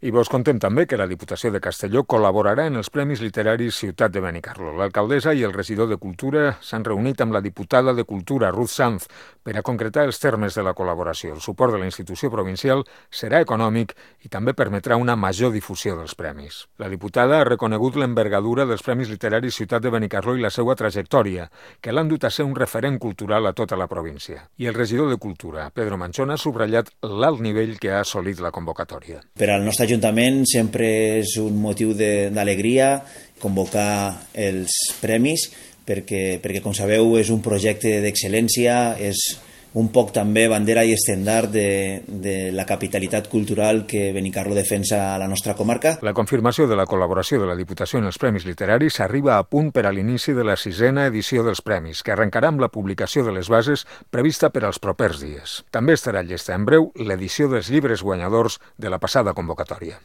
I vos contem també que la Diputació de Castelló col·laborarà en els Premis Literaris Ciutat de Benicarló. L'alcaldessa i el regidor de Cultura s'han reunit amb la diputada de Cultura, Ruth Sanz, per a concretar els termes de la col·laboració. El suport de la institució provincial serà econòmic i també permetrà una major difusió dels premis. La diputada ha reconegut l'envergadura dels Premis Literaris Ciutat de Benicarló i la seva trajectòria, que l'han dut a ser un referent cultural a tota la província. I el regidor de Cultura, Pedro Manchón, ha subratllat l'alt nivell que ha assolit la convocatòria. Per al nostre Ajuntament sempre és un motiu d'alegria convocar els premis perquè, com sabeu, és un projecte d'excel·lència, és un poc també bandera i estendard de la capitalitat cultural que Benicarló defensa a la nostra comarca. La confirmació de la col·laboració de la Diputació en els Premis Literaris arriba a punt per a l'inici de la 6a edició dels premis, que arrencarà amb la publicació de les bases prevista per als propers dies. També estarà llesta en breu l'edició dels llibres guanyadors de la passada convocatòria.